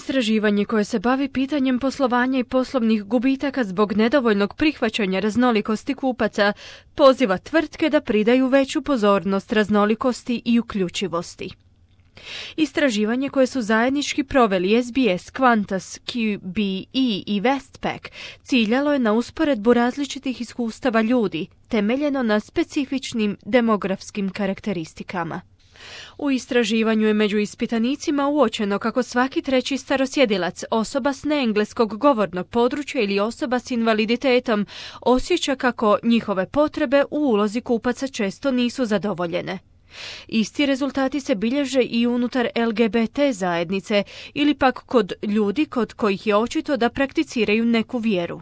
Istraživanje koje se bavi pitanjem poslovanja i poslovnih gubitaka zbog nedovoljnog prihvaćanja raznolikosti kupaca poziva tvrtke da pridaju veću pozornost raznolikosti i uključivosti. Istraživanje koje su zajednički proveli SBS, Qantas, QBE i Westpac ciljalo je na usporedbu različitih iskustava ljudi, temeljeno na specifičnim demografskim karakteristikama. U istraživanju je među ispitanicima uočeno kako svaki treći starosjedilac, osoba s neengleskog govornog područja ili osoba s invaliditetom osjeća kako njihove potrebe u ulozi kupaca često nisu zadovoljene. Isti rezultati se bilježe i unutar LGBT zajednice ili pak kod ljudi kod kojih je očito da prakticiraju neku vjeru.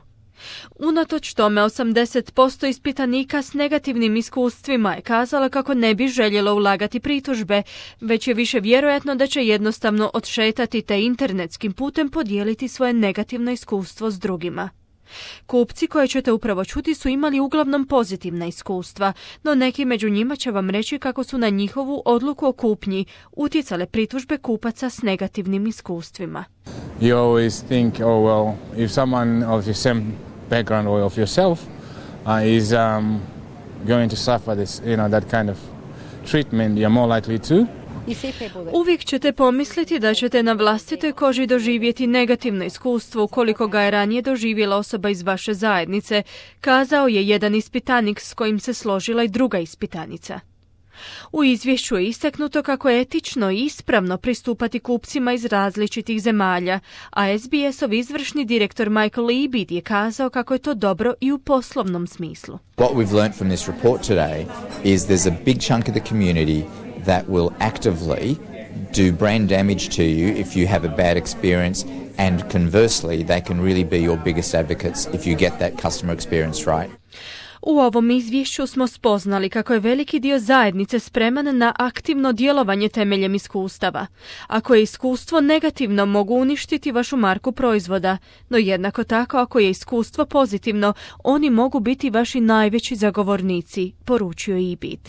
Unatoč tome 80% ispitanika s negativnim iskustvima je kazalo kako ne bi željelo ulagati pritužbe, već je više vjerojatno da će jednostavno odšetati te internetskim putem podijeliti svoje negativno iskustvo s drugima. Kupci koje ćete upravo čuti su imali uglavnom pozitivna iskustva, no neki među njima će vam reći kako su na njihovu odluku o kupnji utjecale pritužbe kupaca s negativnim iskustvima. You always think, oh well, if someone of your same background or of yourself is going to suffer this, that kind of treatment, you're more likely to. Uvijek ćete pomisliti da ćete na vlastitoj koži doživjeti negativno iskustvo ukoliko ga je ranije doživjela osoba iz vaše zajednice, kazao je jedan ispitanik s kojim se složila i druga ispitanica. U izvješću je istaknuto kako je etično i ispravno pristupati kupcima iz različitih zemalja, a SBS-ov izvršni direktor Michael Ebid je kazao kako je to dobro i u poslovnom smislu. What we've learned from this report today is there's a big chunk of the community that will actively do brand damage to you if you have a bad experience, and conversely, they can really be your biggest advocates if you get that customer experience right. U ovom izvješću smo spoznali kako je veliki dio zajednice spreman na aktivno djelovanje temeljem iskustava. Ako je iskustvo negativno, mogu uništiti vašu marku proizvoda, no jednako tako ako je iskustvo pozitivno, oni mogu biti vaši najveći zagovornici, poručio je Ebid.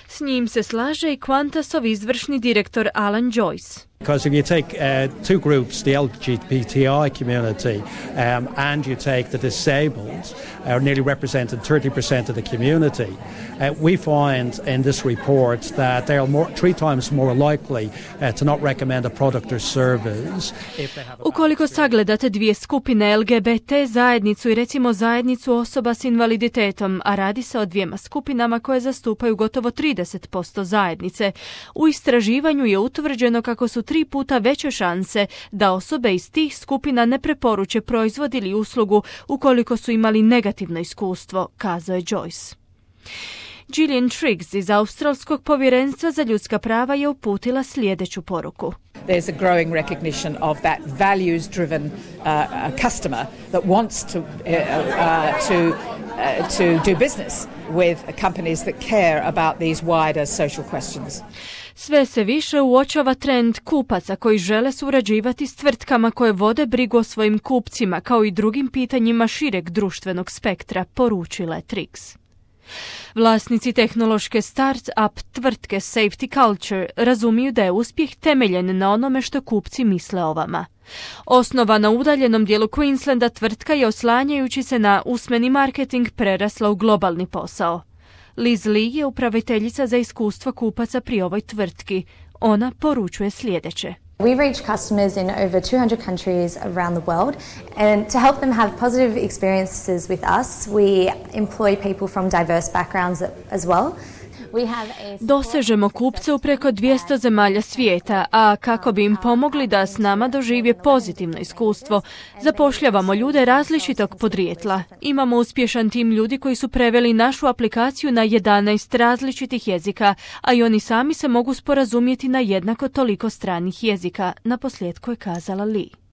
S njim se slaže i Qantasov izvršni direktor Alan Joyce. Because if you take two groups, the LGBTI community and you take the disabled, are nearly represented 30% of the community, we find in this report that they are three times more likely to not recommend a product or service. Ukoliko sagledate dvije skupine LGBT zajednicu i recimo zajednicu osoba s invaliditetom, a radi se o dvijema skupinama koje zastupaju gotovo 30% zajednice, u istraživanju je utvrđeno kako su 3 puta veće šanse da osobe iz tih skupina ne preporuče proizvod ili uslugu ukoliko su imali negativno iskustvo, kazao je Joyce. Gillian Triggs iz Australskog povjerenstva za ljudska prava je uputila sljedeću poruku. There's a growing recognition of that values-driven customer that wants to do business with companies that care about these wider social questions. Sve se više uočava trend kupaca koji žele surađivati s tvrtkama koje vode brigu o svojim kupcima kao i drugim pitanjima šireg društvenog spektra, poručila je Triggs. Vlasnici tehnološke start-up tvrtke Safety Culture razumiju da je uspjeh temeljen na onome što kupci misle o vama. Osnovana u udaljenom dijelu Queenslanda, tvrtka je oslanjajući se na usmeni marketing prerasla u globalni posao. Liz Lee je upraviteljica za iskustvo kupaca pri ovoj tvrtki. Ona poručuje sljedeće. We reach customers in over 200 countries around the world, and to help them have positive experiences with us, we employ people from diverse backgrounds as well. Dosežemo kupce u preko 200 zemalja svijeta, a kako bi im pomogli da s nama dožive pozitivno iskustvo, zapošljavamo ljude različitog podrijetla. Imamo uspješan tim ljudi koji su preveli našu aplikaciju na 11 različitih jezika, a i oni sami se mogu sporazumjeti na jednako toliko stranih jezika, naposljetku je kazala Lee.